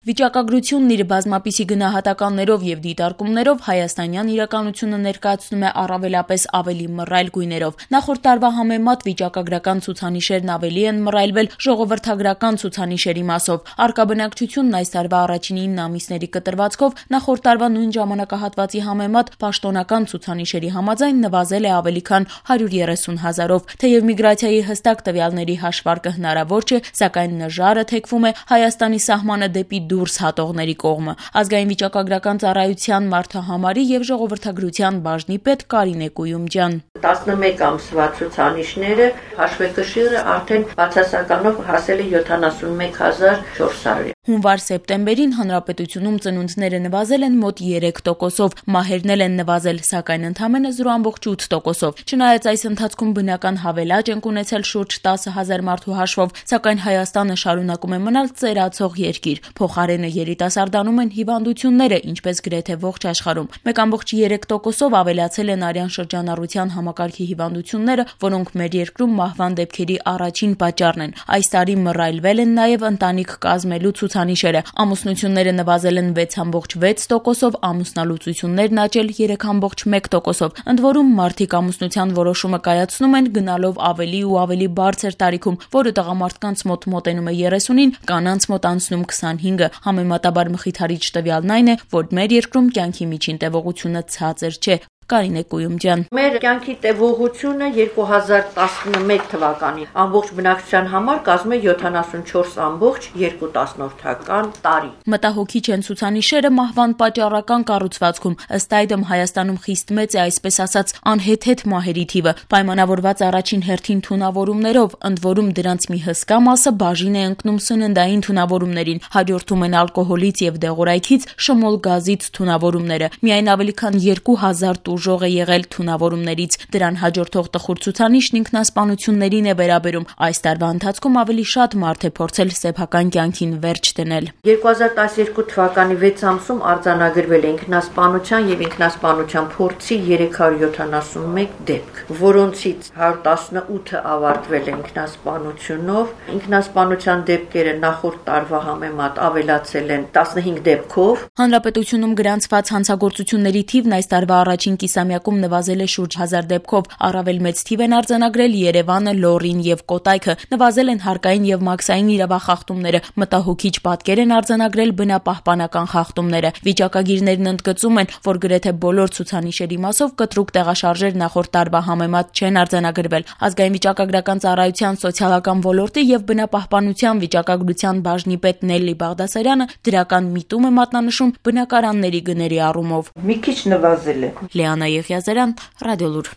Վիճակագրությունն իր բազմապիսի գնահատականներով եւ դիտարկումներով հայաստանյան իրականությունը ներկայացնում է առավելապես ավելի մռայլ գույներով։ Նախորդ տարվա համեմատ վիճակագրական ցուցանիշերն ավելի են մռայլվել ժողովրդագրական ցուցանիշերի մասով։ Արկաբնակչությունն այս տարվա առաջին 9 ամիսների կտրվածքով նախորդ տարվա նույն ժամանակահատվածի համեմատ պաշտոնական ցուցանիշերի համաձայն նվազել է ավելի քան 130 հազարով։ Թեև միգրացիայի հստակ տվյալների հաշվարկը հնարավոր չէ, սակայն նժարը թեքվում է Հայաստանի սահմանը դեպի դուրս հատողների կողմը։ Ազգային վիճակագրական ծառայության մարդահամարի եւ ժողովրդագրության բաժնի պետ Կարինե Կույումջյան 11 ամսվա ցուցանիշները հաշվեկշիռը արդեն բացասականով հասել է 71400։ Հունվար-սեպտեմբերին հանրապետությունում ծնունդները նվազել են մոտ 3%-ով, մահերն են նվազել, սակայն ընդամենը 0.8%-ով։ Չնայած այս ընթացքում բնական հավելաճ են ունեցել շուրջ 10,000 մարդու հաշվով, սակայն Հայաստանը շարունակում է մնալ ծերացող երկիր։ Փոխարենը երիտասարդանում են հիվանդությունները, ինչպես գրեթե ողջ աշխարհում։ 1.3%-ով ավելացել են արյան շրջանառության համակարգի հիվանդությունները, որոնք մեր երկրում մահվան դեպքերի առաջին պատճառն են։ Այս տարի մռայլվել են նաև ընտանիք կազմելու ցուցանիշերը։ Ամուսնությունները նվազել են 6.6%-ով, ամուսնալուծություններն աճել 3.1%-ով։ Ընդ որում մարդիկ ամուսնության որոշումը կայացնում են գնալով ավելի ու ավելի բարձր տարիքում, որը տղամարդկանց մոտ մոտենում է 30-ին, կանանց մոտ անցնում 25-ը։ Համեմատաբար մխիթարիչ տվյալն այն է, որ մեր երկրում կյանքի միջին տևողությունը ցածր չէ։ Կարինե Կույումջյան Մեր կյանքի տևողությունը 2011 թվականի ամբողջ բնակչության համար կազմում է 74.2 տարի։ Մտահոգիչ են ցուցանիշերը մահվան պատճառական կառուցվածքում։ Ըստ այդմ Հայաստանում խիստ մեծ է այսպես ասած անհեթեթ մահերի թիվը, պայմանավորված առաջին հերթին թունավորումներով, ընդ որում դրանց մի հսկա մասը բաժին է ընկնում սննդային թունավորումներին, հաջորդում են ալկոհոլից եւ դեղորայքից, շմոլ գազից թունավորումները։ Միայն ավելի քան 2000 տուժող է եղել թունավորումներից։ Դրան հաջորդող տխուր ցուցանիշն ինքնասպանություններին է վերաբերում։ Այս տարվա ընթացքում ավելի շատ մարդ է փորձել սեփական կյանքին վերջ դնել։ 2012 թվականի 6 ամսում արձանագրվել է ինքնասպանության եւ ինքնասպանության փորձի 371 դեպք, որոնցից 118-ը ավարտվել է ինքնասպանությունով։ Ինքնասպանության դեպքերը նախորդ տարվա համեմատ ավելացել են 15 դեպքով։ Հանրապետությունում գրանցված հանցագործությունների թիվն այս տարվա առաջին կիսամյակում նվազել է շուրջ 1000 դեպքով, առավել մեծ թիվ են արձանագրել Երևանը, Լոռին եւ Կոտայքը, նվազել են հարկային եւ մաքսային իրավախախտումները, մտահոգիչ պատկեր են արձանագրել բնապահպանական խախտումները։ Վիճակագիրներն ընդգծում են, որ գրեթե բոլոր ցուցանիշերի մասով կտրուկ տեղաշարժեր նախորդ տարվա համեմատ չեն արձանագրվել։ Ազգային վիճակագրական ծառայության սոցիալական ոլորտի եւ բնապահպանության վիճակագրության բաժնի պետ Նելլի Բաղդասարյանը դրական միտում է մատնանշում բնակարանների գների առումով։ Մի քիչ նվազել է։ Լիանա Եղիազարյան, Ռադիոլուր։